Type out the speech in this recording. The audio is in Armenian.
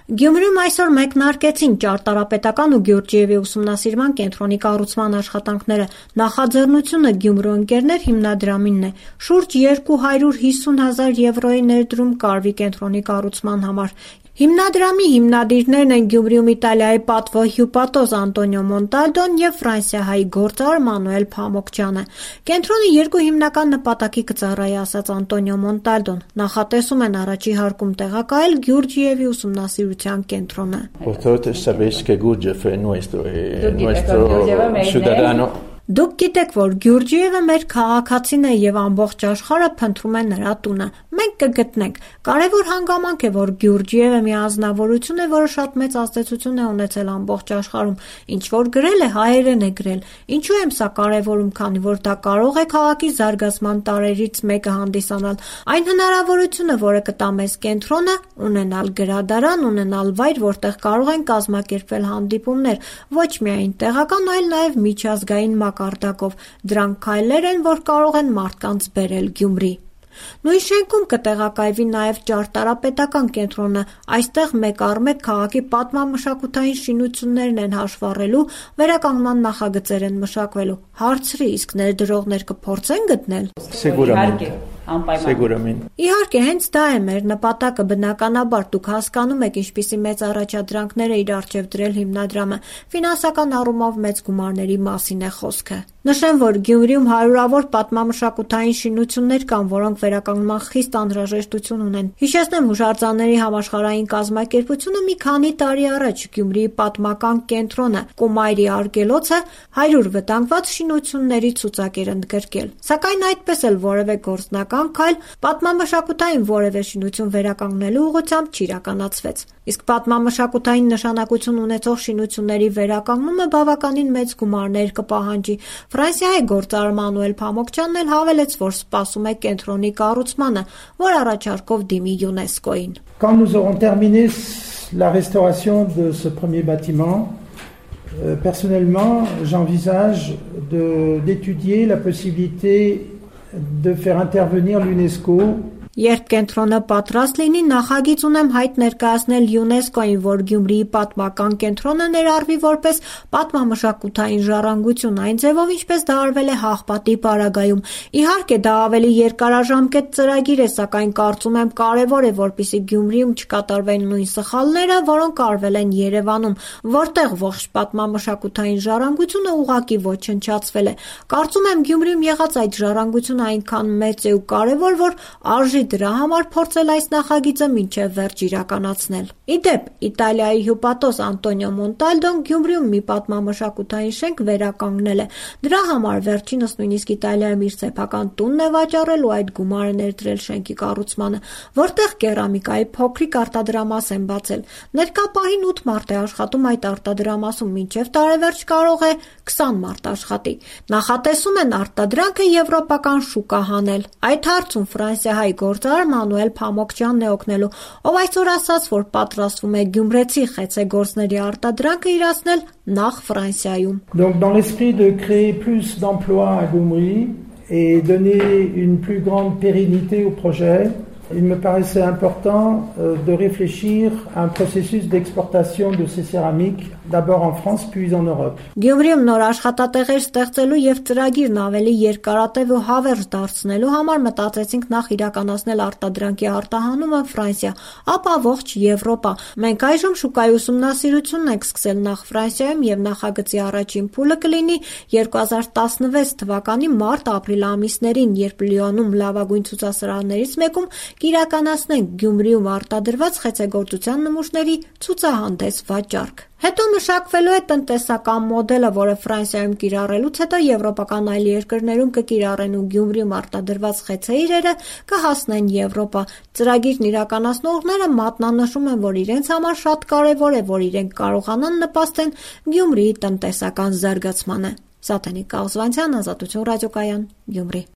Գյումրիում այսօր մեկնարկեցին ճարտարապետական ու Գյուրջիևի ուսումնասիրման կենտրոնի կառուցման աշխատանքները։ Նախաձեռնությունը Գյումրու ընկերներ հիմնադրամինն է։ Շուրջ 250,000 եվրոյի ներդրում կարվի կենտրոնի կառուցման համար։ Հիմնադրամի հիմնադիրներն են Գյումրիում Իտալիայի պատվո հյուպատոս Անտոնիո Մոնտալդոն և ֆրանսիահայ գործարար Մանուել Փամոկջյանը։ Կենտրոնը երկու հիմնական նպատակի կծառայի, ասաց Անտոնիո Մոնտալդոն։ Նախատեսում են առաջի հարկում տեղակայել Գյուրջիևի ուսումնասիրության կենտրոնը։ Դուք գիտեք, որ Գյուրջիևը մեր քաղաքացին է և ամբողջ աշխարհը փնտրում է նրա տունը։ Մենք կգտնենք։ Կարևոր հանգամանք է, որ Գյուրջիևը մի անձնավորություն է, որը շատ մեծ ազդեցություն է ունեցել ամբողջ աշխարհում։ Ինչ որ գրել է, հայերեն է գրել։ Ինչու եմ սա կարևորում, քանի որ դա կարող է քաղաքի զարգացման տարրերից մեկը հանդիսանալ։ Այն հնարավորությունը, որը կտա մեզ կենտրոնը, ունենալ գրադարան, ունենալ վայր, որտեղ կարող են կազմակերպվել հանդիպումներ, ոչ միայն տեղական, այլ նաև միջազգային մակարդակով։ Դրանք քայլեր են, որ կարող են մարդկանց բերել Գյումրի։ Նույն շենքում կտեղակայվի նաև ճարտարապետական կենտրոնը։ Այստեղ մեկ առ մեկ քաղաքի պատմամշակութային շինություններն են հաշվառելու, վերականգնման նախագծեր են մշակվելու։ Հարցրի, իսկ ներդրողներ կփորձեն գտնել։ Իհարկե, հենց դա է մեր նպատակը, բնականաբար դուք հասկանում եք ինչպիսի մեծ առաջադրանքներ է իր առջև դրել հիմնադրամը, ֆինանսական առումով մեծ գումարների մասին է խոսքը։ Նշեմ, որ Գյումրիում հարյուրավոր պատմամշակութային շինություններ կան, որոնք վերականգնման խիստ անհրաժեշտություն ունեն։ Հիշեցնեմ, հուշարձանների համաշխարհային կազմակերպությունը մի քանի տարի առաջ Գյումրիի պատմական կենտրոնը Կումայրի արգելոցը 100 վտանգված շինությունների ցուցակ էր ընդգրկել։ Սակայն այդպես էլ որևէ գործնական քայլ պատմամշակութային որևէ շինություն վերականգնելու ուղղությամբ չիրականացվեց։ Իսկ պատմամշակութային նշանակություն ունեցող շինությունների վերականգնումը բավականին մեծ գումարներ կպահանջի։ Ֆրանսիայի գործարար Մանուել Փամոկջյանն էլ հավելեց, որ սպասում է կենտրոնի կառուցմանը, որ առաջարկով դիմի ՅՈՒՆԵՍԿՕ-ին։ Quand nous aurons terminé la restauration de ce premier bâtiment, personnellement, j'envisage d'étudier la possibilité de faire intervenir l'UNESCO. Երբ կենտրոնը պատրաստ լինի, նախագիծ ունեմ հայտ ներկայացնել ՅՈՒՆԵՍԿՕ-ին, որ Գյումրիի պատմական կենտրոնը ներառվի որպես պատմամշակութային ժառանգություն, այն ձևով, ինչպես դա արվել է Հաղպատի պարագայում։ Իհարկե, դա ավելի երկարաժամկետ ծրագիր է, սակայն կարծում եմ կարևոր է, որպեսզի Գյումրիում չկատարվեն նույն սխալները, որոնք արվել են Երևանում, որտեղ ողջ պատմամշակութային ժառանգությունը ուղղակի ոչնչացվել է։ Կարծում եմ Գյումրիում եղած այդ ժառանգությունը այնքան մեծ է ու կարևոր, որ արժի դրա համար փորձել այս նախագիծը մինչև վերջ իրականացնել։ Իդեպ, Իտալիայի հյուպատոս Անտոնիո Մոնտալդոն Գյումրիում մի պատմամշակութային շենք վերականգնել է։ Դրա համար վերջինս նույնիսկ Իտալիայում իր սեփական տունն է վաճառել ու այդ գումարը ներդրել շենքի կառուցմանը, որտեղ կերամիկայի փոքրիկ արտադրամաս են բացել։ Ներկա պահին 8 մարդ է աշխատում այդ արտադրամասում, մինչև տարեվերջ կարող է 20 մարդ աշխատի։ Նախատեսում են արտադրանքը եվրոպական շուկա հանել։ Այդ հարցում ֆրանսիահայ գործարար Մանուել Փամոկջյանն է օգնելու, ով այսօր ասաց, որ պատրաստվում է գյումրեցի խեցեգործների արտադրանքը իրացնել նախ Ֆրանսիայում։ Donc dans l'esprit de créer plus d'emplois à Gyumri et donner une plus grande pérennité au projet, il me paraissait important de réfléchir à un processus d'exportation de ces céramiques, d'abord en France puis en Europe. Գյումրիում նոր աշխատատեղեր ստեղծելու եւ ծրագիրն ավելի երկարատև ու հավերժ դարձնելու համար մտածեցինք նախ իրականացնել արտադրանքի արտահանումը Ֆրանսիա, ապա ողջ Եվրոպա։ Մենք այժմ շուկայի ուսումնասիրությունն ենք սկսել նախ Ֆրանսիայում եւ նախագծի առաջին փուլը կլինի 2016 թվականի մարտ-ապրիլ ամիսներին, երբ Լիոնում լավագույն ցուցասրահներից մեկում կիրականացնենք Գյումրիում արտադրված խեցեգործության նմուշների ցուցահանդես վաճառք։ Հետո մշակվելու է տնտեսական մոդելը, որը Ֆրանսիայում կիրառելուց հետո եվրոպական այլ երկրներում կկիրառեն ու Գյումրիում արտադրված խեցե իրերը կհասնեն Եվրոպա։ Ծրագիրն իրականացնողները մատնանշում են, որ իրենց համար շատ կարևոր է, որ իրենք կարողանան նպաստեն Գյումրիի տնտեսական զարգացմանը։ Սաթենիկ Կաղզվանցյան, Ազատություն ռադիոկայան, Գյումրի։